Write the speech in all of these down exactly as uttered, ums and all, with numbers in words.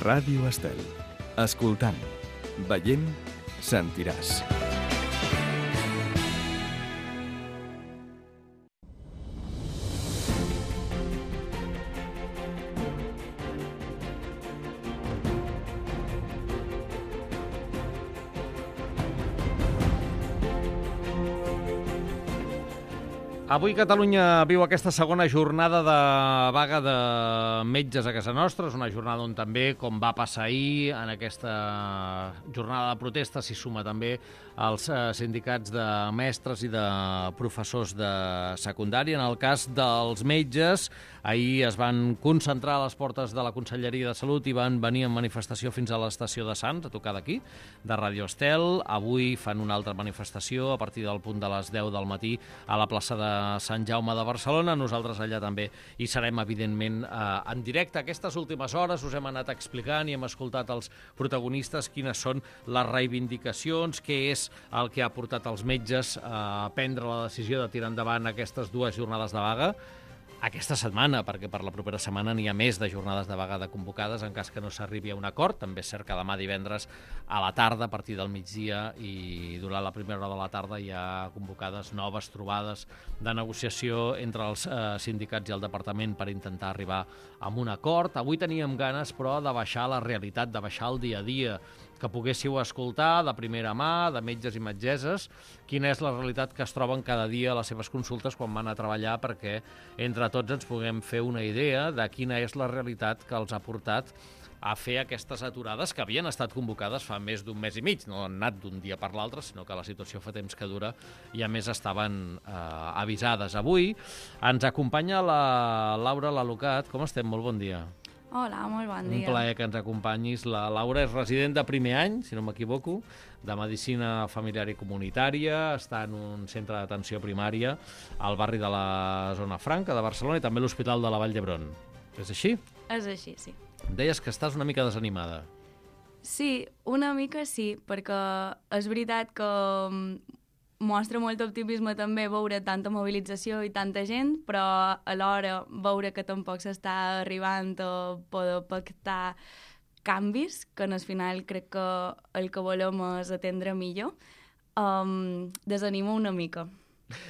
Ràdio Estel. Escoltant, veient, sentiràs. Avui Catalunya viu aquesta segona jornada de vaga de metges a casa nostra. És una jornada on també, com va passar ahir, en aquesta jornada de protesta s'hi suma també els sindicats de mestres i de professors de secundària. En el cas dels metges, ahir es van concentrar a les portes de la Conselleria de Salut i van venir en manifestació fins a l'estació de Sants, a tocar d'aquí, de Ràdio Estel. Avui fan una altra manifestació a partir del punt de les deu del matí a la plaça de Sant Jaume de Barcelona. Nosaltres allà també hi serem, evidentment, eh, en directe. Aquestes últimes hores us hem anat explicant i hem escoltat els protagonistes quines són les reivindicacions, què és el que ha portat els metges a prendre la decisió de tirar endavant aquestes dues jornades de vaga aquesta setmana, perquè per la propera setmana n'hi ha més de jornades de vaga de convocades en cas que no s'arribi a un acord. També és cert que demà divendres a la tarda, a partir del migdia i durant la primera hora de la tarda hi ha convocades noves trobades de negociació entre els eh, sindicats i el departament per intentar arribar a un acord. Avui teníem ganes, però, de baixar la realitat, de baixar el dia a dia, que poguéssiu escoltar de primera mà, de metges i metgesses, quina és la realitat que es troben cada dia a les seves consultes quan van a treballar, perquè entre tots ens puguem fer una idea de quina és la realitat que els ha portat a fer aquestes aturades que havien estat convocades fa més d'un mes i mig. No han anat d'un dia per l'altre, sinó que la situació fa temps que dura i, a més, estaven eh, avisades. Avui ens acompanya la Laura Lalucat. Com estem? Molt bon dia. Hola, molt bon dia. Un plaer que ens acompanyis. La Laura és resident de primer any, si no m'equivoco, de Medicina Familiar i Comunitària, està en un centre d'atenció primària al barri de la Zona Franca de Barcelona i també a l'Hospital de la Vall d'Hebron. És així? És així, sí. Em deies que estàs una mica desanimada. Sí, una mica sí, perquè és veritat que mostra molt optimisme també veure tanta mobilització i tanta gent, però alhora veure que tampoc s'està arribant a poder pactar canvis, que al final crec que el que volem és atendre millor, um, desanima una mica.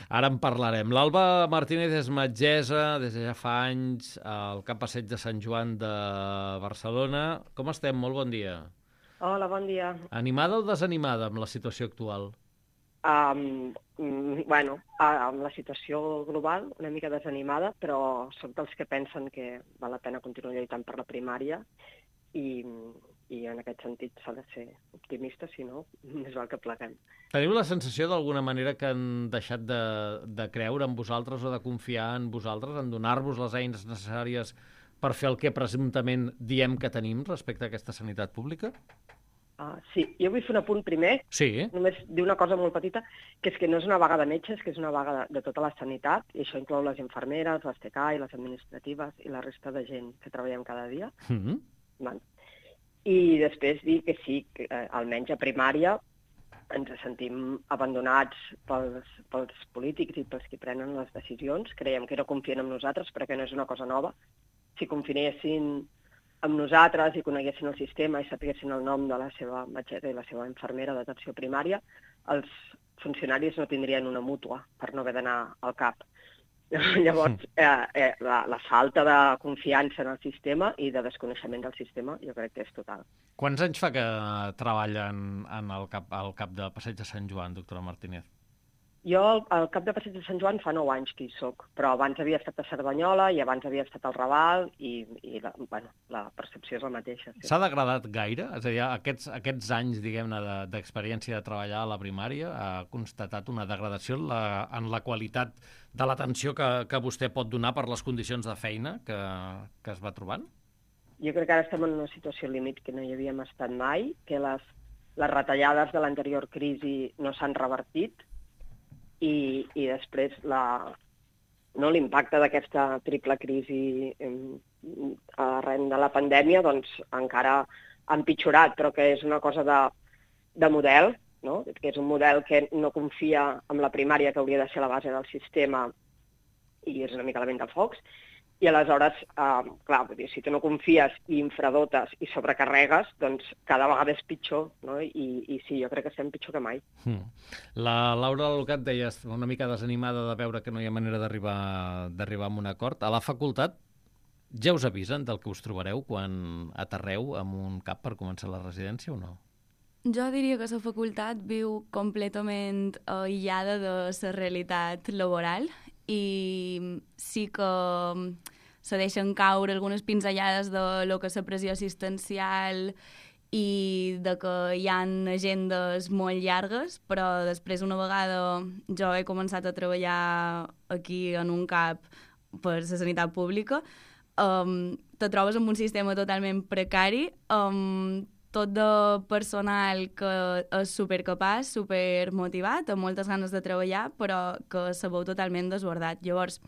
Ara en parlarem. L'Alba Martínez és metgessa des de ja fa anys al Cap Passeig de Sant Joan de Barcelona. Com estem? Molt bon dia. Hola, bon dia. Animada o desanimada amb la situació actual? Um, bueno, amb la situació global, una mica desanimada, però soc dels que pensen que val la pena continuar lluitant per la primària i, i en aquest sentit s'ha de ser optimista, si no, més val que pleguem. Teniu la sensació d'alguna manera que han deixat de, de creure en vosaltres o de confiar en vosaltres, en donar-vos les eines necessàries per fer el que presumptament diem que tenim respecte a aquesta sanitat pública? Uh, sí, jo vull fer un apunt primer, sí. Només dir una cosa molt petita, que és que no és una vaga de metges, que és una vaga de, de tota la sanitat, i això inclou les infermeres, les T K I, les administratives i la resta de gent que treballem cada dia. Mm-hmm. Bueno. I després dir que sí, que eh, almenys a primària ens sentim abandonats pels, pels polítics i pels que prenen les decisions. Creiem que no confien en nosaltres perquè no és una cosa nova. Si confiessin amb nosaltres i coneguessin el sistema i sapiguessin el nom de la seva metgessa i la seva infermera d'atenció primària, els funcionaris no tindrien una mútua per no haver d'anar al CAP. Llavors, eh, eh, la, la falta de confiança en el sistema i de desconeixement del sistema jo crec que és total. Quants anys fa que treballen en el cap, al cap de Passeig de Sant Joan, doctora Martínez? Jo al cap de Passeig de Sant Joan fa nou anys que hi soc, però abans havia estat a Cerdanyola i abans havia estat al Raval i, i la, bueno, la percepció és la mateixa. Sí. S'ha degradat gaire? És a dir, aquests, aquests anys, diguem-ne, d'experiència de treballar a la primària ha constatat una degradació en la, en la qualitat de l'atenció que, que vostè pot donar per les condicions de feina que, que es va trobant? Jo crec que ara estem en una situació límit que no hi havíem estat mai, que les, les retallades de l'anterior crisi no s'han revertit, I, i després la, no, l'impacte d'aquesta triple crisi eh, arran de la pandèmia doncs, encara ha empitjorat, però que és una cosa de, de model, no? Que és un model que no confia en la primària, que hauria de ser la base del sistema, i és una mica la vent de focs, I aleshores, eh, clar, vull dir, si tu no confies i infradotes i sobrecarregues, doncs cada vegada és pitjor, no? I, i sí, jo crec que estem pitjor que mai. Mm. La Laura Lucat deia una mica desanimada de veure que no hi ha manera d'arribar d'arribar a un acord. A la facultat ja us avisen del que us trobareu quan aterreu amb un cap per començar la residència o no? Jo diria que la facultat viu completament aïllada de la realitat laboral i sí que se deixen caure algunes pinzellades de lo que és la pressió assistencial i de que hi ha agendes molt llargues, però després una vegada jo he començat a treballar aquí en un cap per la sanitat pública, um, te trobes amb un sistema totalment precari, amb tot de personal que és supercapaç, supermotivat, amb moltes ganes de treballar, però que se veu totalment desbordat. Llavors,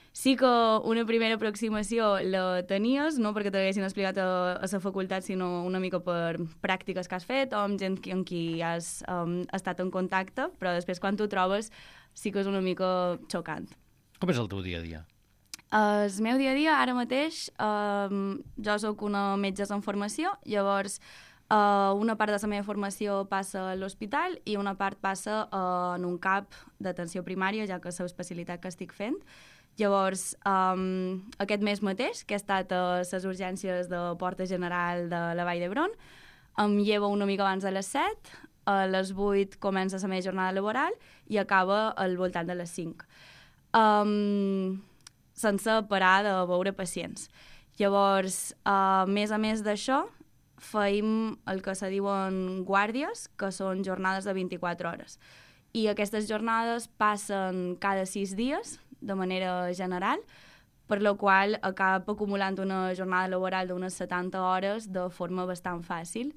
sí que una primera aproximació la tenies, no perquè t'haguessin explicat a, a la facultat, sinó una mica per pràctiques que has fet o amb gent amb qui has um, estat en contacte, però després quan t'ho trobes sí que és una mica xocant. Com és el teu dia a dia? El meu dia a dia, ara mateix, eh, jo sóc una metgessa en formació, llavors eh, una part de la meva formació passa a l'hospital i una part passa eh, en un cap d'atenció primària, ja que és l'especialitat que estic fent. Llavors, eh, aquest mes mateix, que he estat a les urgències de Porta General de la Vall d'Hebron, em llevo una mica abans de les set, a les vuit comença la meva jornada laboral i acaba al voltant de les cinc. Um, sense parar de veure pacients. Llavors, a més a més d'això, feim el que se diuen guàrdies, que són jornades de vint-i-quatre hores. I aquestes jornades passen cada sis dies, de manera general, per la qual acaba acumulant una jornada laboral d'unes setanta hores de forma bastant fàcil.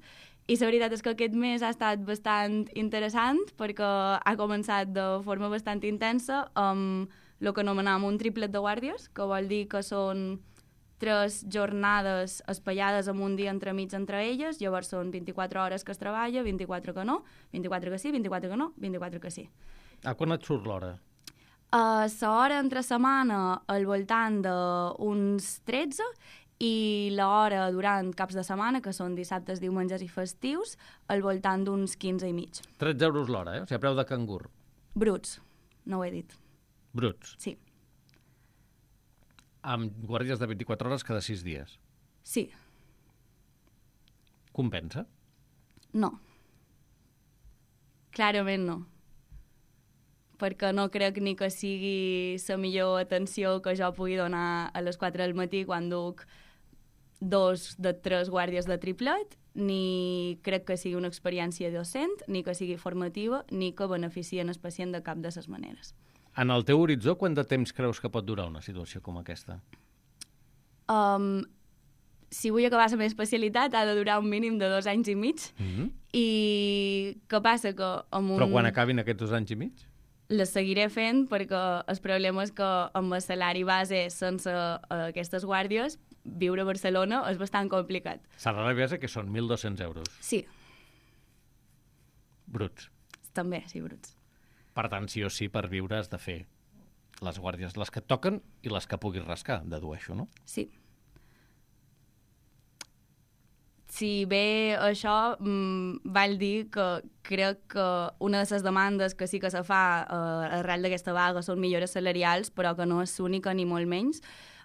I la veritat és que aquest mes ha estat bastant interessant perquè ha començat de forma bastant intensa amb el que anomenàvem un triplet de guàrdies, que vol dir que són tres jornades espaiades amb un dia entremig entre elles, llavors són vint-i-quatre hores que es treballa, vint-i-quatre que no, vint-i-quatre que sí, vint-i-quatre que no, vint-i-quatre que sí. A quan et surt l'hora? Uh, l'hora entre setmana al voltant d'uns tretze i l'hora durant caps de setmana, que són dissabtes, diumenges i festius, al voltant d'uns quinze i mig. tretze euros l'hora, eh? O sigui, a preu de cangur. Bruts, no ho he dit. Bruts? Sí. Amb guàrdies de vint-i-quatre hores cada sis dies? Sí. Compensa? No. Clarament no. Perquè no crec ni que sigui la millor atenció que jo pugui donar a les quatre del matí quan duc dos de tres guàrdies de triplet, ni crec que sigui una experiència docent, ni que sigui formativa, ni que beneficien el pacient de cap de les maneres. En el teu horitzó, quant de temps creus que pot durar una situació com aquesta? Um, si vull acabar la meva especialitat, ha de durar un mínim de dos anys i mig. Mm-hmm. I què passa? Que amb un... Però quan acabin aquests dos anys i mig? Les seguiré fent perquè el problema és que amb el salari base sense uh, aquestes guàrdies viure a Barcelona és bastant complicat. Salari base que són mil dos-cents euros. Sí. Bruts. També, sí, bruts. Per tant, sí o sí, per viure has de fer les guàrdies, les que et toquen i les que puguis rascar, dedueixo, no? Sí. Si bé això mmm, val dir que crec que una de les demandes que sí que se fa eh, arrel d'aquesta vaga són millores salarials, però que no és única ni molt menys,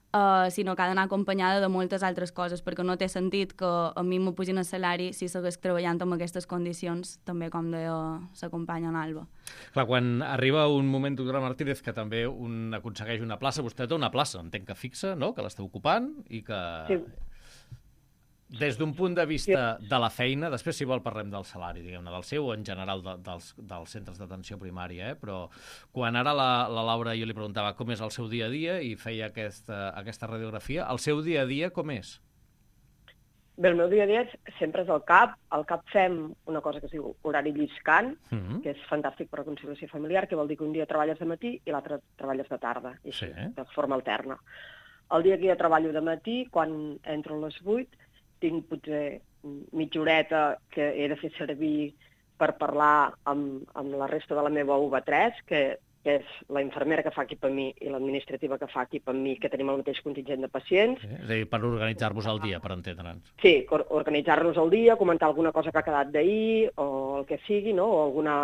Uh, sinó que ha d'anar acompanyada de moltes altres coses, perquè no té sentit que a mi m'ho pugin el salari si segueix treballant en aquestes condicions, també com deia la companya en Alba. Clar, quan arriba un moment, doctora Martínez, que també un aconsegueix una plaça, vostè té una plaça, entenc que fixa, no?, que l'està ocupant i que... Sí. Des d'un punt de vista sí. de la feina, després si vol parlem del salari, diguem-ne, del seu o en general de, dels, dels centres d'atenció primària, eh? Però quan ara la, la Laura jo li preguntava com és el seu dia a dia i feia aquesta, aquesta radiografia, el seu dia a dia com és? Bé, el meu dia a dia sempre és al CAP. Al CAP fem una cosa que es diu horari lliscant, mm-hmm. que és fantàstic per a conciliació familiar, que vol dir que un dia treballes de matí i l'altre treballes de tarda, i així, sí. de forma alterna. El dia que jo treballo de matí, quan entro a les vuit, tinc potser mitja horeta que he de fer servir per parlar amb, amb la resta de la meva U V tres, que que és la infermera que fa equip amb mi i l'administrativa que fa equip amb mi, que tenim el mateix contingent de pacients. Eh? És a dir, per organitzar-vos el dia, per entendre'ns. Sí, organitzar-nos el dia, comentar alguna cosa que ha quedat d'ahir, o el que sigui, no? O alguna,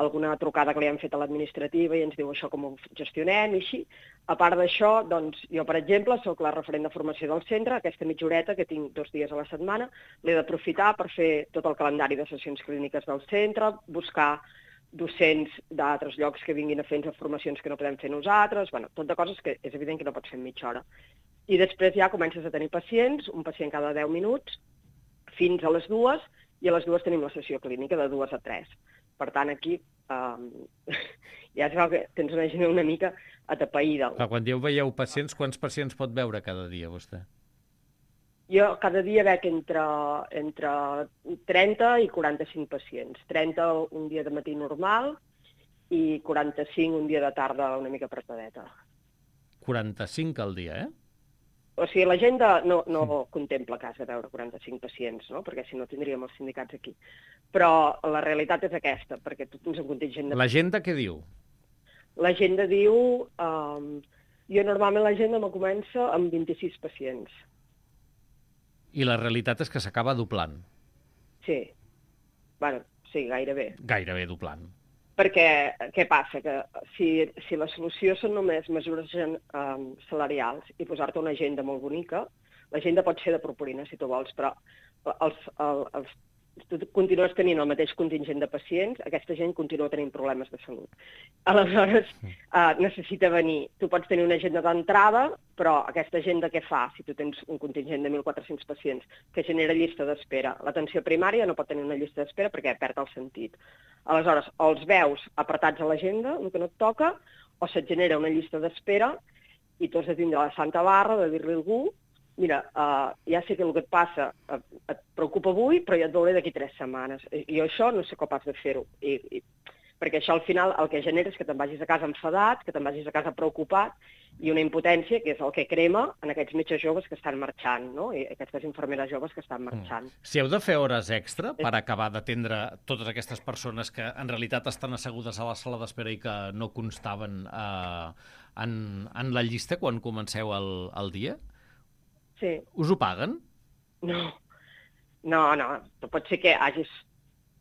alguna trucada que li hem fet a l'administrativa i ens diu això com ho gestionem i així. A part d'això, doncs, jo, per exemple, sóc la referent de formació del centre, aquesta mitja horeta que tinc dos dies a la setmana, l'he d'aprofitar per fer tot el calendari de sessions clíniques del centre, buscar docents d'altres llocs que vinguin a fer-nos formacions que no podem fer nosaltres, bueno, tot de coses que és evident que no pots fer en mitja hora. I després ja comences a tenir pacients, un pacient cada deu minuts, fins a les dues, i a les dues tenim la sessió clínica de dues a tres. Per tant, aquí um, ja es veu que tens una gent una mica atapeïda. Clar, quan dieu veieu pacients, quants pacients pot veure cada dia vostè? Jo cada dia veig entre, entre trenta i quaranta-cinc pacients. trenta un dia de matí normal i quaranta-cinc un dia de tarda una mica apretadeta. quaranta-cinc al dia, eh? O sigui, l'agenda no, no contempla cas de veure quaranta-cinc pacients, no? Perquè si no tindríem els sindicats aquí. Però la realitat és aquesta, perquè tu tens un contingent de... L'agenda què diu? L'agenda diu... Um, jo normalment l'agenda me comença amb vint-i-sis pacients. I la realitat és que s'acaba doblant. Sí. Bueno, sí, gairebé. Gairebé doblant. Perquè què passa? Que si, si la solució són només mesures um, salarials i posar-te una agenda molt bonica, l'agenda pot ser de purpurina, si tu vols, però els, els, els, tu continues tenint el mateix contingent de pacients, aquesta gent continua tenint problemes de salut. Aleshores, uh, necessita venir. Tu pots tenir una agenda d'entrada, però aquesta agenda què fa? Si tu tens un contingent de mil quatre-cents pacients que genera llista d'espera, l'atenció primària no pot tenir una llista d'espera perquè perd el sentit. Aleshores, o els veus apretats a l'agenda, el que no et toca, o se't genera una llista d'espera i tu has de tindre la santa barra de dir-li a algú mira, uh, ja sé que el que et passa uh, et preocupa avui, però ja et veuré d'aquí tres setmanes. I jo això no sé capaç de fer-ho. I, i, perquè això al final el que genera és que te'n vagis a casa enfadat, que te'n vagis a casa preocupat, i una impotència que és el que crema en aquests metges joves que estan marxant, no? I aquestes infermeres joves que estan marxant. Mm. Si heu de fer hores extra per acabar d'atendre totes aquestes persones que en realitat estan assegudes a la sala d'espera i que no constaven uh, en, en la llista quan comenceu el, el dia, sí. Us ho paguen? No, no, no. Pot ser que hagis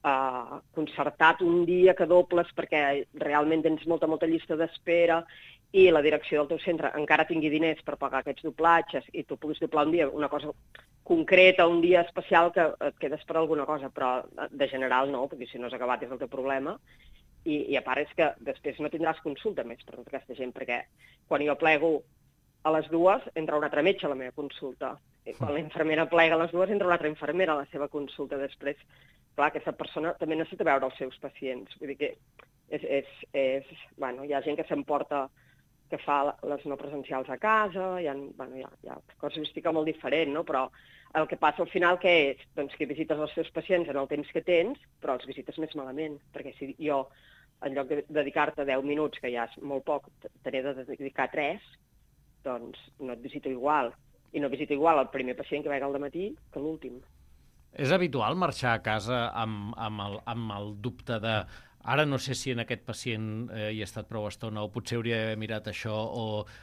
uh, concertat un dia que dobles perquè realment tens molta, molta llista d'espera i la direcció del teu centre encara tingui diners per pagar aquests doblatges i tu puguis doblar un dia una cosa concreta, un dia especial que et quedes per alguna cosa, però de general no, perquè si no has acabat és el teu problema. I, i a part és que després no tindràs consulta més per tota aquesta gent, perquè quan jo plego a les dues entra un altre metge a la meva consulta. I quan la infermera plega a les dues entra una altra infermera a la seva consulta. Després, clar, aquesta persona també necessita veure els seus pacients. Vull dir que és, és, és, bueno, hi ha gent que s'emporta, que fa les no presencials a casa, hi ha, bueno, hi ha, hi ha casuística molt diferent, no? Però el que passa al final què és? Doncs que visites els teus pacients en el temps que tens, però els visites més malament. Perquè si jo, en lloc de dedicar-te deu minuts, que ja és molt poc, te n'he de dedicar tres, doncs no et visito igual. I no visito igual el primer pacient que veig al dematí que l'últim. És habitual marxar a casa amb, amb, el, amb el dubte de ara no sé si en aquest pacient eh, hi he estat prou estona o potser hauria d'haver mirat això o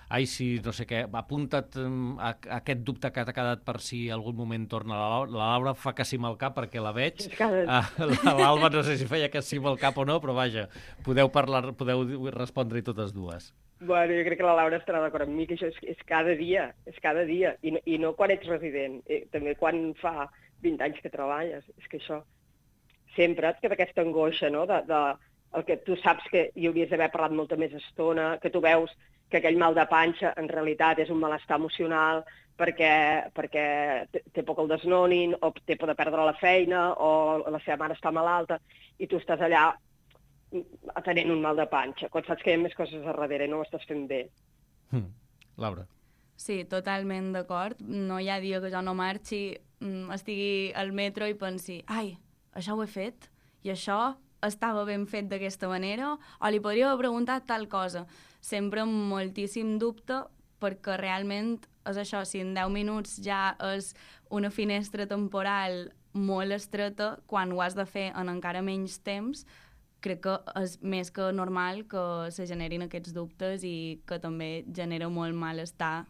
ai, si no sé què, apunta't a, a aquest dubte que t'ha quedat per si algun moment torna la Laura. La Laura fa que sí amb el cap perquè la veig. Cada... L'Alba no sé si feia que sí amb el cap o no, però vaja, podeu parlar, podeu respondre-hi totes dues. Bueno, jo crec que la Laura estarà d'acord amb mi, que això és, és cada dia, és cada dia, i no, i no quan ets resident, eh, també quan fa vint anys que treballes, és que això sempre et queda aquesta angoixa, no?, de, de el que tu saps que hi hauries d'haver parlat molta més estona, que tu veus que aquell mal de panxa en realitat és un malestar emocional perquè, perquè té por que el desnonin, o té por de perdre la feina, o la seva mare està malalta, i tu estàs allà tenint un mal de panxa, quan saps que hi ha més coses a darrere i no ho estàs fent bé. Hmm. Laura. Sí, totalment d'acord. No hi ha dia que jo no marxi, estigui al metro i pensi ai, això ho he fet i això estava ben fet d'aquesta manera o li podria haver preguntat tal cosa. Sempre amb moltíssim dubte perquè realment és això, si en deu minuts ja és una finestra temporal molt estreta, quan ho has de fer en encara menys temps, crec que és més que normal que se generin aquests dubtes i que també genera molt malestar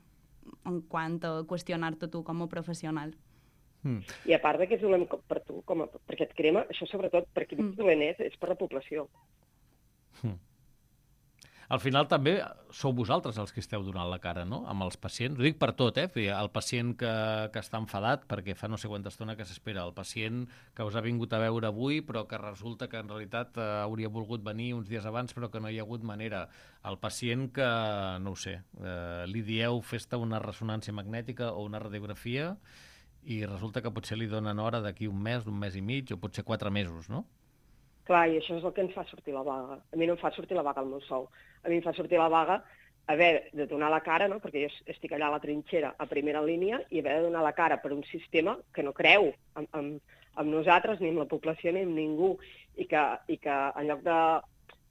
en quant a qüestionar-te tu com a professional. Mm. I a part de que és dolent per tu, com a, perquè et crema, això sobretot per qui mm. dolent és, és per la població. Mm. Al final també sou vosaltres els que esteu donant la cara, no?, amb els pacients. Ho dic per tot, eh? El pacient que, que està enfadat perquè fa no sé quanta estona que s'espera, el pacient que us ha vingut a veure avui però que resulta que en realitat eh, hauria volgut venir uns dies abans però que no hi ha hagut manera, el pacient que, no ho sé, eh, li dieu fes-te una ressonància magnètica o una radiografia i resulta que potser li donen hora d'aquí un mes, un mes i mig o potser quatre mesos, no? Clar, i això és el que ens fa sortir la vaga. A mi no em fa sortir la vaga el meu sou. A mi em fa sortir la vaga haver de donar la cara, no?, perquè jo estic allà a la trinxera, a primera línia, i haver de donar la cara per un sistema que no creu en, en, en nosaltres, ni en la població, ni en ningú, i que, i que en lloc de...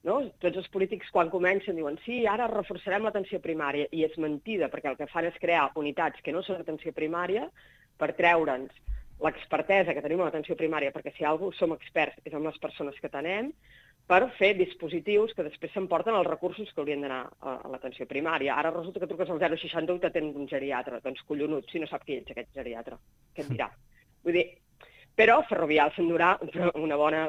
No? Tots els polítics, quan comencen, diuen sí, ara reforçarem l'atenció primària, i és mentida, perquè el que fan és crear unitats que no són atenció primària per treure'ns l'expertesa que tenim a l'atenció primària, perquè si algú som experts és amb les persones que tenem, per fer dispositius que després s'emporten els recursos que haurien d'anar a, a l'atenció primària. Ara resulta que truques al zero seixanta u i t'atén un geriatre. Doncs collonut, si no sap qui ets aquest geriatre. Què et dirà? Vull dir, però Ferrovial s'endurà una bona,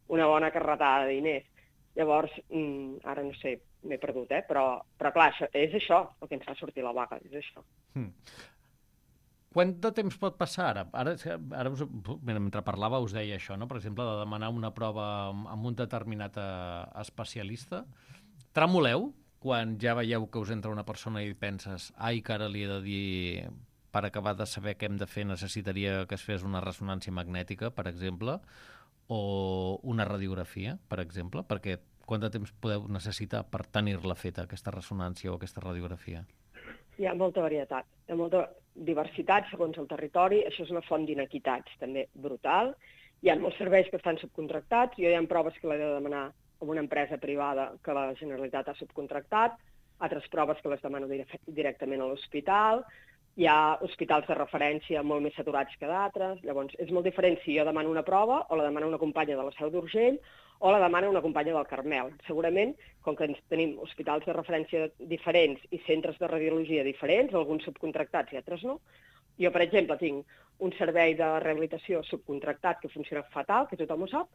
una bona carretada de diners. Llavors, mm, ara no sé, m'he perdut, eh? Però, però clar, això, és això el que ens fa sortir la vaga, és això. Mm. Quant de temps pot passar ara? Ara, ara us, mentre parlava us deia això, no? Per exemple, de demanar una prova amb un determinat especialista. Tremoleu quan ja veieu que us entra una persona i penses ai, que ara li he de dir, per acabar de saber què hem de fer, necessitaria que es fes una ressonància magnètica, per exemple, o una radiografia, per exemple, perquè quant de temps podeu necessitar per tenir-la feta, aquesta ressonància o aquesta radiografia? Hi ha molta varietat, hi ha molta diversitat segons el territori, això és una font d'inequitats també brutal. Hi ha molts serveis que estan subcontractats, jo hi ha proves que l'he de demanar amb una empresa privada que la Generalitat ha subcontractat, altres proves que les demano directament a l'hospital, hi ha hospitals de referència molt més saturats que d'altres, llavors és molt diferent si jo demano una prova o la demano una companya de la Seu d'Urgell o la demana una companya del Carmel. Segurament, com que ens tenim hospitals de referència diferents i centres de radiologia diferents, alguns subcontractats i altres no, jo, per exemple, tinc un servei de rehabilitació subcontractat que funciona fatal, que tothom ho sap,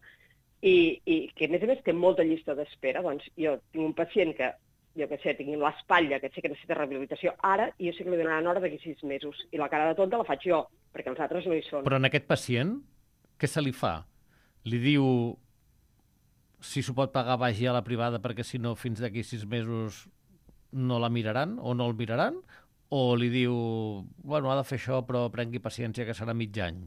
i, i que, a més a més, té molta llista d'espera. Doncs jo tinc un pacient que, jo què sé, tinc l'espatlla, que sé que necessita rehabilitació ara, i jo sé que li donaran hora d'aquí sis mesos. I la cara de tonta la faig jo, perquè els altres no hi són. Però en aquest pacient, què se li fa? Li diu... si s'ho pot pagar vagi a la privada perquè si no fins d'aquí sis mesos no la miraran o no el miraran? O li diu, bueno, ha de fer això però prengui paciència que serà mig any?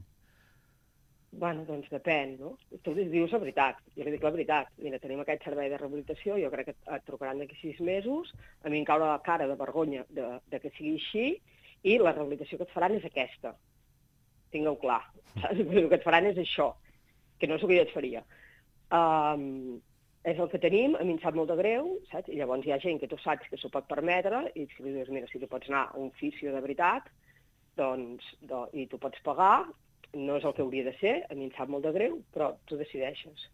Bueno, doncs depèn, no? Tu li dius la veritat, jo li dic la veritat. Mira, tenim aquest servei de rehabilitació, jo crec que et trucaran d'aquí sis mesos, a mi em cau la cara de vergonya de, de que sigui així i la rehabilitació que et faran és aquesta. Tingueu clar, saps? El que et faran és això, que no és el que jo et faria. Um, és el que tenim, a mi em sap molt de greu, saps? I llavors hi ha gent que tu saps que s'ho pot permetre i si li dius, mira, si tu pots anar a un fisio de veritat, doncs, do, i tu pots pagar, no és el que hauria de ser, a mi em sap molt de greu, però tu decideixes.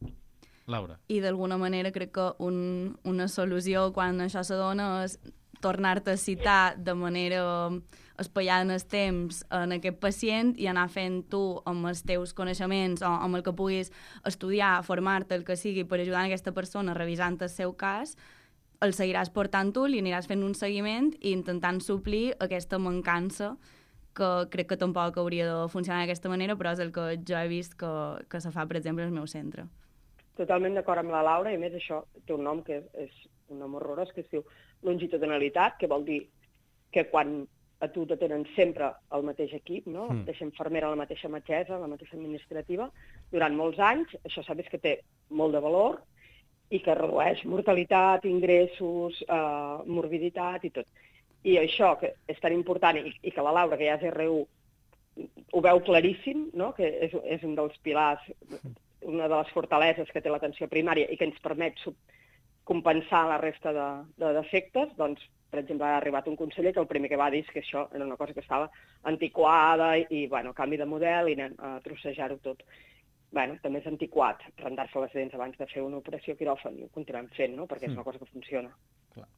Laura. I d'alguna manera crec que un, una solució quan això s'adona és tornar-te a citar de manera espaiada en el temps en aquest pacient i anar fent tu amb els teus coneixements o amb el que puguis estudiar, formar-te, el que sigui, per ajudar aquesta persona revisant el seu cas, el seguiràs portant tu, li aniràs fent un seguiment i intentant suplir aquesta mancança que crec que tampoc hauria de funcionar d'aquesta manera, però és el que jo he vist que, que se fa, per exemple, al meu centre. Totalment d'acord amb la Laura, i a més això té un nom que és, és un nom horrorós, que es diu longitudinalitat, que vol dir que quan a tu te tenen sempre el mateix equip, no? La mateixa infermera, la mateixa metgessa, la mateixa administrativa, durant molts anys, això sabes que té molt de valor i que redueix mortalitat, ingressos, eh, morbiditat i tot. I això que és tan important i, i que la Laura, que ja és R U, ho veu claríssim, no? Que és, és un dels pilars, una de les fortaleses que té l'atenció primària i que ens permet compensar la resta de, de defectes, doncs, per exemple, ha arribat un conseller que el primer que va dir és que això era una cosa que estava antiquada i, i bueno, canvi de model i anem a trossejar-ho tot. bueno, també és antiquat rentar-se les dents abans de fer una operació quiròfan i ho continuem fent, no? Perquè és una cosa que funciona. Clar.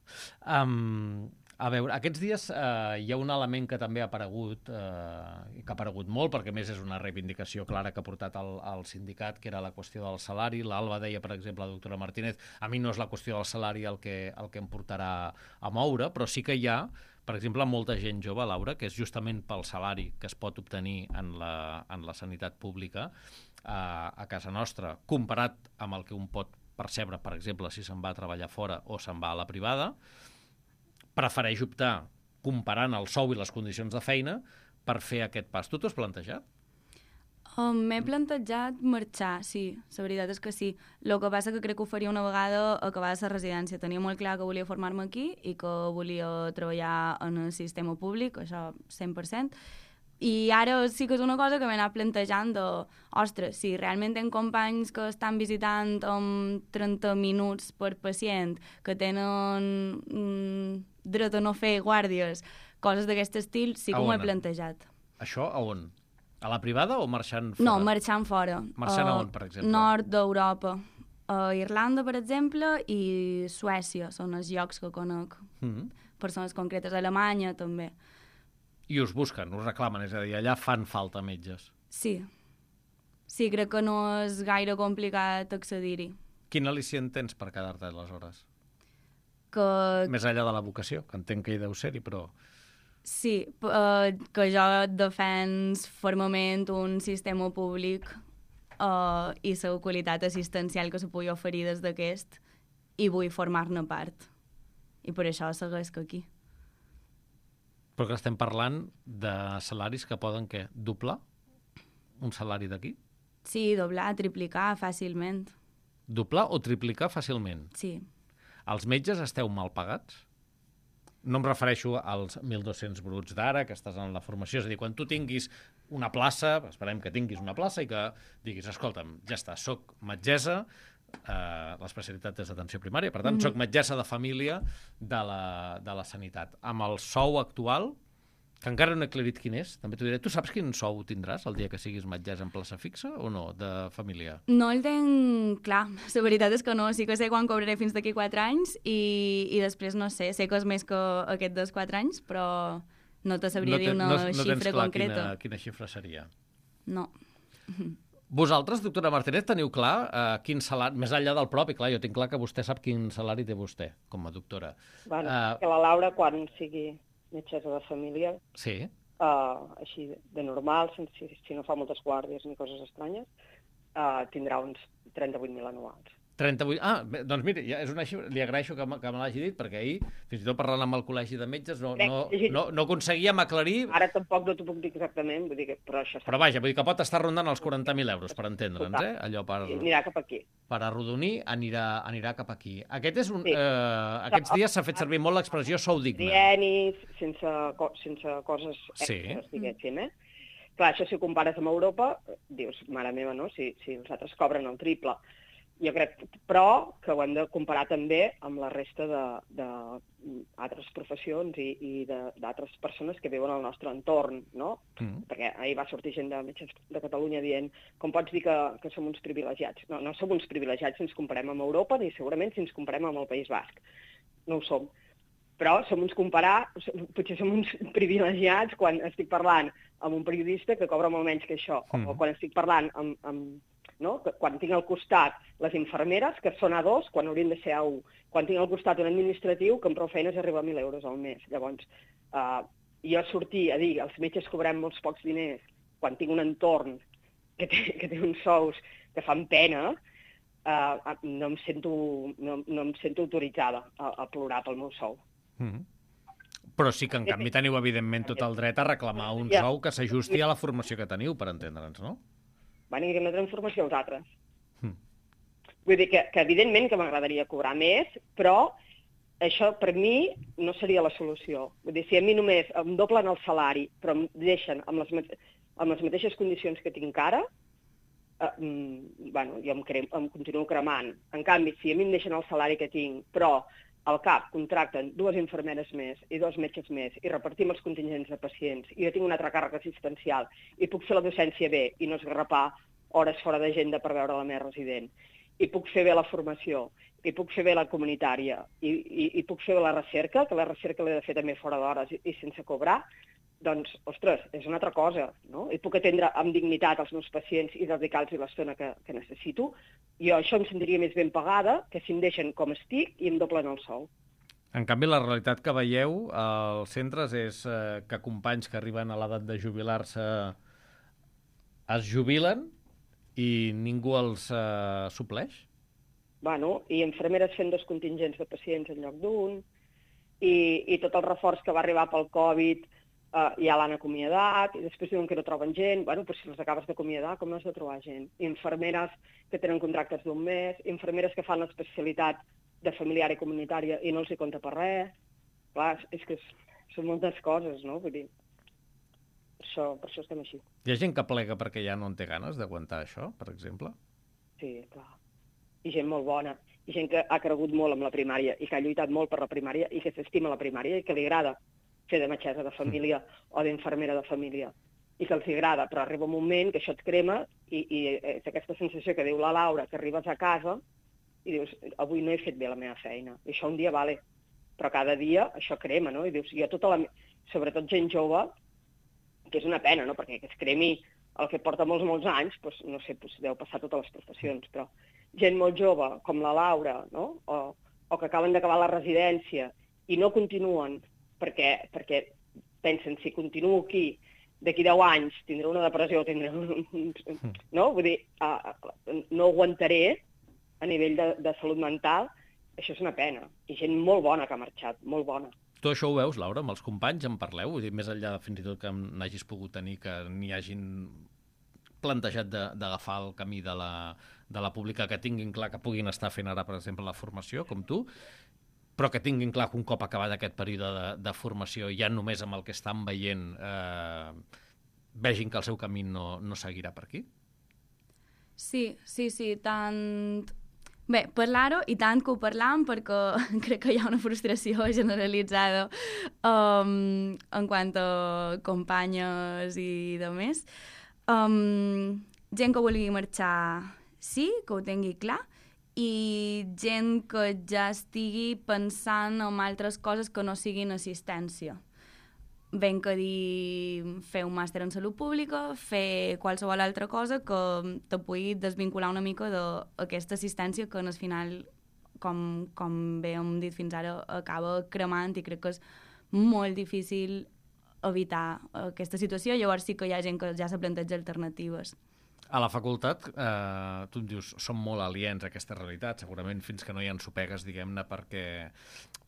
Um, a veure, aquests dies uh, hi ha un element que també ha aparegut, uh, i que ha aparegut molt, perquè a més és una reivindicació clara que ha portat el, el sindicat, que era la qüestió del salari. L'Alba deia, per exemple, la doctora Martínez, a mi no és la qüestió del salari el que, el que em portarà a moure, però sí que hi ha, per exemple, molta gent jove, Laura, que és justament pel salari que es pot obtenir en la, en la sanitat pública a, a casa nostra, comparat amb el que un pot percebre, per exemple, si se'n va a treballar fora o se'n va a la privada, prefereix optar, comparant el sou i les condicions de feina, per fer aquest pas. Tu t'ho has plantejat? Um, M'he plantejat marxar, sí, la veritat és que sí. El que passa que crec que ho faria una vegada acabada la residència. Tenia molt clar que volia formar-me aquí i que volia treballar en el sistema públic, això cent per cent. I ara sí que és una cosa que m'he anat plantejant de, ostres, si realment tenc companys que estan visitant amb trenta minuts per pacient, que tenen mm, dret a no fer guàrdies, coses d'aquest estil, sí que m'ho he plantejat. Això a on? A la privada o marxant fora? No, marxant fora. Marxant a on, per exemple? Nord d'Europa. A Irlanda, per exemple, i Suècia són els llocs que conec. Mm-hmm. Persones concretes. Alemanya, també. I us busquen, us reclamen, és a dir, allà fan falta metges. Sí. Sí, crec que no és gaire complicat accedir-hi. Quin al·licient tens per quedar-te aleshores? Que... Més enllà de la vocació, que entenc que hi deu ser-hi, però... Sí, uh, que jo defens fermament un sistema públic uh, i la qualitat assistencial que se pugui oferir des d'aquest i vull formar-ne part. I per això segueix aquí. Però que estem parlant de salaris que poden, què, doblar un salari d'aquí? Sí, doblar, triplicar fàcilment. Doblar o triplicar fàcilment? Sí. Els metges esteu mal pagats? No em refereixo als mil dos-cents bruts d'ara, que estàs en la formació. És a dir, quan tu tinguis una plaça, esperem que tinguis una plaça i que diguis, escolta'm, ja està, soc metgessa, eh, l'especialitat és d'atenció primària, per tant, mm-hmm. soc metgessa de família de la, de la sanitat. Amb el sou actual, que encara no he aclarit quin és, també t'ho diré, tu saps quin sou tindràs el dia que siguis metgessa en plaça fixa o no, de família? No el tenc clar, la veritat és que no, sí que sé quan cobraré fins d'aquí quatre anys i, i després no sé, sé que és més que aquest dels quatre anys, però no te sabria no te, dir una no, no xifra tens clar concreta. Quina, quina xifra seria? No. Vosaltres, doctora Martínez, teniu clar eh, quin salari, més enllà del propi, clar, jo tinc clar que vostè sap quin salari té vostè com a doctora. Bueno, uh, que la Laura, quan sigui metgessa de família, sí. uh, així de normal, si, si no fa moltes guàrdies ni coses estranyes, uh, tindrà uns trenta-vuit mil anuals. trenta-vuit... Ah, bé, doncs mira, ja és una xifra... Li agraeixo que, que me l'hagi dit, perquè ahir, fins i tot parlant amb el col·legi de metges, no, no, no, no aconseguíem aclarir... Ara tampoc no t'ho puc dir exactament, vull dir que... Però, això però vaja, vull dir que pot estar rondant els quaranta mil euros, per entendre'ns, eh? Allò per... Anirà cap aquí. Per arrodonir, anirà, anirà cap aquí. Aquest és un... Sí. Eh, aquests dies s'ha fet servir molt l'expressió sou digne. Dienis, sense, sense coses extres, sí. diguéssim, eh? Clar, això si ho compares amb Europa, dius, mare meva, no? Si, si els altres cobren el triple. Jo crec, però, que ho hem de comparar també amb la resta d'altres professions i, i d'altres persones que viuen al nostre entorn, no? Mm. Perquè ahir va sortir gent de metges de Catalunya dient com pots dir que, que som uns privilegiats? No, no som uns privilegiats si ens comparem amb Europa ni segurament si ens comparem amb el País Basc. No ho som. Però som uns comparar, potser som uns privilegiats quan estic parlant amb un periodista que cobra molt menys que això, mm. o quan estic parlant amb... amb no? Quan tinc al costat les infermeres, que són A dos, quan haurien de ser A u. Quan tinc al costat un administratiu, que amb prou feines arriba a mil euros al mes. Llavors, uh, jo sortir a dir els metges cobrem molts pocs diners, quan tinc un entorn que té, que té uns sous que fan pena, uh, no, em sento, no, no em sento autoritzada a, a plorar pel meu sou. Mm. Però sí que, en canvi, teniu, evidentment, tot el dret a reclamar un sou que s'ajusti a la formació que teniu, per entendre'ns, no? Van dir que no tenen formació els altres. Mm. Vull dir que, que evidentment que m'agradaria cobrar més, però això per mi no seria la solució. Vull dir, si a mi només em doblen el salari, però em deixen amb les, amb les mateixes condicions que tinc ara, eh, bueno, jo em, crem, em continuo cremant. En canvi, si a mi em deixen el salari que tinc, però al cap contracten dues infermeres més i dos metges més i repartim els contingents de pacients i jo tinc una altra càrrega assistencial i puc fer la docència bé i no esgarrapar hores fora d'agenda per veure la meva resident, i puc fer bé la formació, i puc fer bé la comunitària, i, i, i puc fer bé la recerca, que la recerca l'he de fer també fora d'hores i, i sense cobrar, doncs, ostres, és una altra cosa, no? I puc atendre amb dignitat els meus pacients i dedicar-los l'estona que, que necessito. Jo això em sentiria més ben pagada que si em deixen com estic i em doblen el sou. En canvi, la realitat que veieu als centres és eh, que companys que arriben a l'edat de jubilar-se es jubilen i ningú els eh, supleix? Bueno, i infermeres fent dos contingents de pacients en lloc d'un, i, i tot el reforç que va arribar pel Covid Uh, ja l'han acomiadat, i després diuen que no troben gent. Bueno, però si els acabes d'acomiadar, com no has de trobar gent? Infermeres que tenen contractes d'un mes, infermeres que fan l'especialitat de familiar i comunitària i no els hi compta per res. Clar, és que són moltes coses, no? Vull dir, per això, per això estem així. Hi ha gent que plega perquè ja no en té ganes d'aguantar això, per exemple? Sí, clar. I gent molt bona. I gent que ha cregut molt amb la primària i que ha lluitat molt per la primària i que s'estima la primària i que li agrada fer de metgessa de família o d'infermera de família, i que els agrada, però arriba un moment que això et crema i, i és aquesta sensació que diu la Laura, que arribes a casa i dius, avui no he fet bé la meva feina. I això un dia vale, però cada dia això crema, no? I dius, jo tota la... sobretot gent jove, que és una pena, no? Perquè que es cremi el que porta molts, molts anys, doncs, no sé, doncs, deu passar totes les professions, però gent molt jove, com la Laura, no? O, o que acaben d'acabar la residència i no continuen perquè, perquè pensen, si continuo aquí, d'aquí deu anys tindré una depressió, tindré un... no? Vull dir, uh, no aguantaré a nivell de, de salut mental, això és una pena. I gent molt bona que ha marxat, molt bona. Tu això ho veus, Laura, amb els companys, en parleu? Vull dir, més enllà fins i tot que n'hagis pogut tenir, que n'hi hagin plantejat d'agafar el camí de la, de la pública, que tinguin clar que puguin estar fent ara, per exemple, la formació, com tu, però que tinguin clar que un cop acabat aquest període de, de formació, ja només amb el que estan veient, eh, vegin que el seu camí no, no seguirà per aquí? Sí, sí, sí, tant... Bé, parlar-ho i tant que ho parlam, perquè crec que hi ha una frustració generalitzada um, en quant a companyes i de més. Um, gent que vulgui marxar, sí, que ho tingui clar, i gent que ja estigui pensant en altres coses que no siguin assistència. Ben que dir fer un màster en salut pública, fer qualsevol altra cosa que te pugui desvincular una mica d'aquesta assistència que al final, com, com bé hem dit fins ara, acaba cremant, i crec que és molt difícil evitar aquesta situació. Llavors sí que hi ha gent que ja se planteja alternatives. A la facultat, eh, tu em dius, som molt aliens a aquesta realitat, segurament fins que no hi ha ensopegues, diguem-ne, perquè,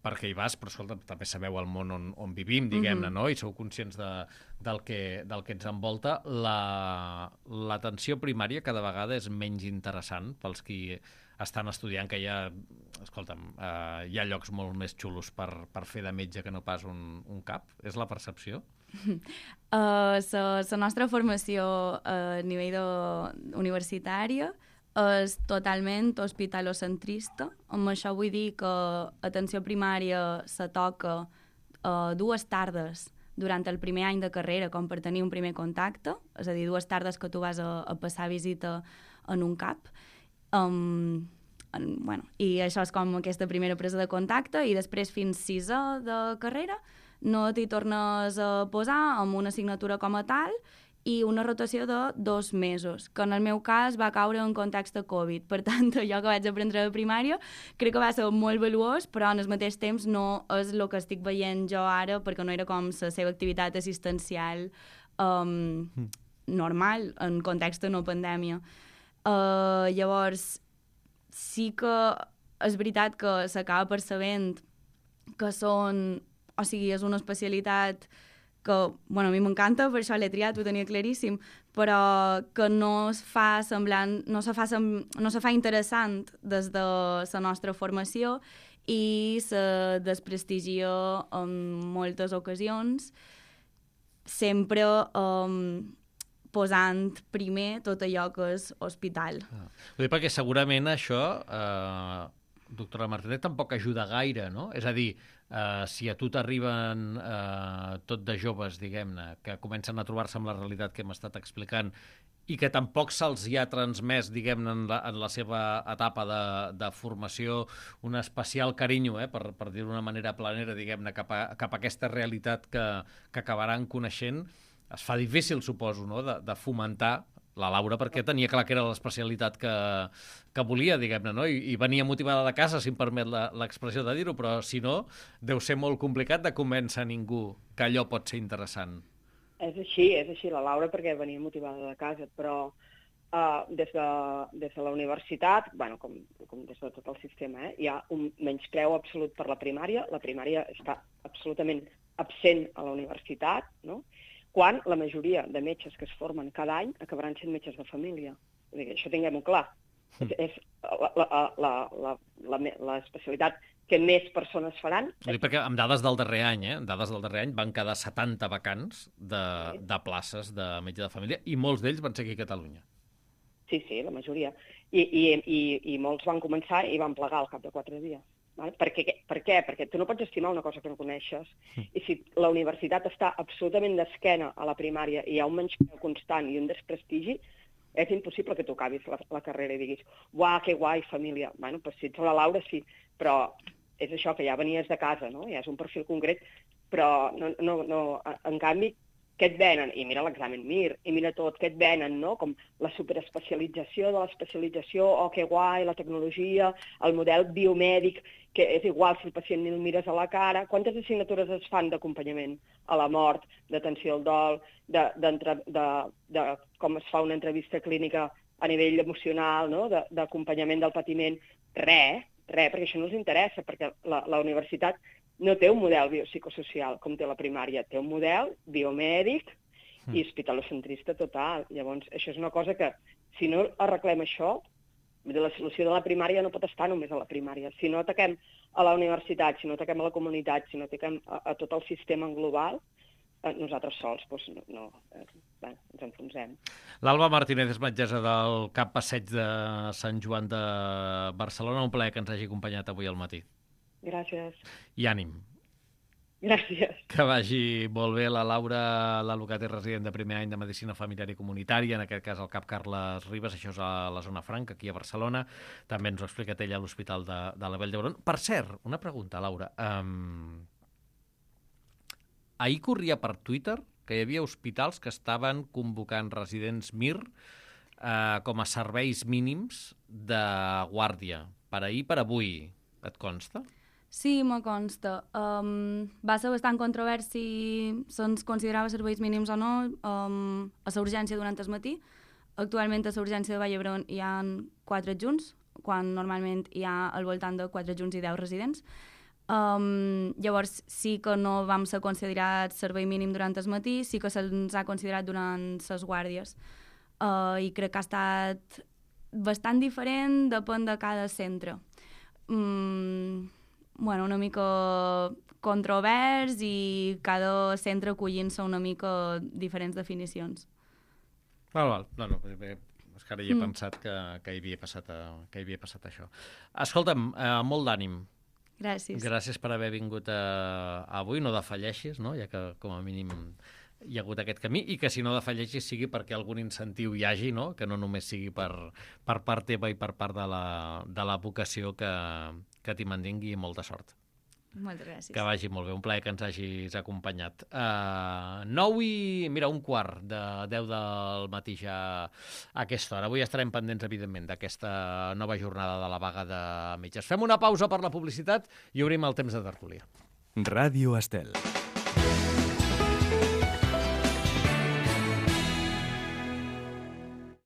perquè hi vas, però escolta, també sabeu el món on, on vivim, diguem-ne, mm-hmm. no? I sou conscients de, del, que, del que ens envolta. La, l'atenció primària cada vegada és menys interessant pels qui estan estudiant, que hi ha, escolta'm, eh, hi ha llocs molt més xulos per, per fer de metge que no pas un, un cap. És la percepció? La uh, nostra formació a nivell de, universitària és totalment hospitalocentrista. Amb això vull dir que atenció primària se toca uh, dues tardes durant el primer any de carrera, com per tenir un primer contacte, és a dir, dues tardes que tu vas a, a passar visita en un cap. Um, en, bueno, I això és com aquesta primera presa de contacte, i després fins sisè de carrera no t'hi tornes a posar amb una assignatura com a tal i una rotació de dos mesos, que en el meu cas va caure en context de Covid. Per tant, allò que vaig aprendre a primària crec que va ser molt valuós, però en el mateix temps no és el que estic veient jo ara, perquè no era com la seva activitat assistencial um, mm. normal, en context de no pandèmia. Uh, llavors, sí que és veritat que s'acaba percebent que són... O sigui, és una especialitat que, bueno, a mi m'encanta, per això l'he triat, ho tenia claríssim, però que no es fa semblant, no se fa, sem, no se fa interessant des de la nostra formació i se desprestigia en moltes ocasions, sempre um, posant primer tot allò que és hospital. Ah. Vull dir, perquè segurament això, eh, doctora Martinet, tampoc ajuda gaire, no? És a dir, Uh, si a tu t'arriben uh, tot de joves, diguem-ne, que comencen a trobar-se amb la realitat que hem estat explicant I que tampoc se'ls hi ha transmès, diguem-ne, en, la, en la seva etapa de, de formació, un especial carinyo, eh, per, per dir-ho d'una manera planera, diguem-ne, cap, a, cap a aquesta realitat que, que acabaran coneixent. Es fa difícil, suposo, no?, de, de fomentar la Laura, perquè tenia clar que era l'especialitat que, que volia, diguem-ne, no? I, i venia motivada de casa, si em permet l'expressió de dir-ho, però si no, deu ser molt complicat de convèncer ningú que allò pot ser interessant. És així, és així, la Laura, perquè venia motivada de casa, però uh, des, de, des de la universitat, bueno, com, com des de tot el sistema, eh, hi ha un menyspreu absolut per la primària. La primària està absolutament absent a la universitat, no?, quan la majoria de metges que es formen cada any acabaran sent metges de família. Vull dir, això tinguem-ho clar. Mm. És l'especialitat que més persones faran. Vull dir, perquè amb dades del darrer any, eh, amb dades del darrer any van quedar setanta vacants de, de places de metge de família i molts d'ells van ser aquí a Catalunya. Sí, sí, la majoria. I, i, i, i molts van començar i van plegar al cap de quatre dies. Vale? Per què? Per què? Perquè tu no pots estimar una cosa que no coneixes. I si la universitat està absolutament d'esquena a la primària i hi ha un menyspreu constant i un desprestigi, és impossible que tu acabis la, la carrera i diguis «Uah, que guai, família». Bueno, doncs si ets la Laura, sí, però és això, que ja venies de casa, no? Ja és un perfil concret, però no, no, no, en canvi, què et venen? I mira l'examen Mir, i mira tot, què et venen, no? Com la superespecialització de l'especialització, oh, que guai, la tecnologia, el model biomèdic, que és igual si el pacient ni el mires a la cara. Quantes assignatures es fan d'acompanyament a la mort, d'atenció al dol, de, de, de, de com es fa una entrevista clínica a nivell emocional, no? D'acompanyament del patiment? Res, res, perquè això no els interessa, perquè la, la universitat no té un model biopsicosocial com té la primària, té un model biomèdic i hospitalocentrista total. Llavors, això és una cosa que, si no arreglem això, la solució de la primària no pot estar només a la primària. Si no ataquem a la universitat, si no ataquem a la comunitat, si no ataquem a, a tot el sistema en global, eh, nosaltres sols doncs, no, no, eh, bé, ens enfonsem. L'Alba Martínez és metgessa del C A P Passeig de Sant Joan de Barcelona. Un plaer que ens hagi acompanyat avui al matí. Gràcies. I ànim. Gràcies. Que vagi molt bé. La Laura Lalucat és resident de primer any de Medicina Familiar i Comunitària, en aquest cas al C A P Carles Ribas, això és a la zona franca, aquí a Barcelona. També ens ho ha explicat ella a l'Hospital de, de la Vall d'Hebron. Per cert, una pregunta, Laura. Um, ahir corria per Twitter que hi havia hospitals que estaven convocant residents Mir uh, com a serveis mínims de guàrdia. Per ahir, per avui. Et consta? Sí, me consta. Um, va ser bastant controvers si se'ns considerava serveis mínims o no um, a la urgència durant el matí. Actualment a la urgència de Vall d'Hebron hi ha quatre adjunts, quan normalment hi ha al voltant de quatre adjunts i deu residents. Um, llavors sí que no vam ser considerats servei mínim durant el matí, sí que se'ns ha considerat durant les guàrdies. Uh, I crec que ha estat bastant diferent, depèn de cada centre. Mm, bueno, una mica controvers i cada centre acollint-se una mica diferents definicions. Val, val. No, no, bé, és que ara hi he mm. pensat que, que, hi havia passat, que hi havia passat això. Escolta'm, eh, molt d'ànim. Gràcies. Gràcies per haver vingut a, avui. No defalleixis, no? Ja que com a mínim hi ha hagut aquest camí, i que si no defalleixis sigui perquè algun incentiu hi hagi, no? Que no només sigui per, per part teva i per part de la, de la vocació que, que t'hi mantingui, i molta sort. Moltes gràcies. Que vagi molt bé, un plaer que ens hagis acompanyat. Uh, nou i, mira, un quart de deu del matí ja a aquesta hora. Avui estarem pendents, evidentment, d'aquesta nova jornada de la vaga de metges. Fem una pausa per la publicitat i obrim el temps de tertúlia. Ràdio Estel.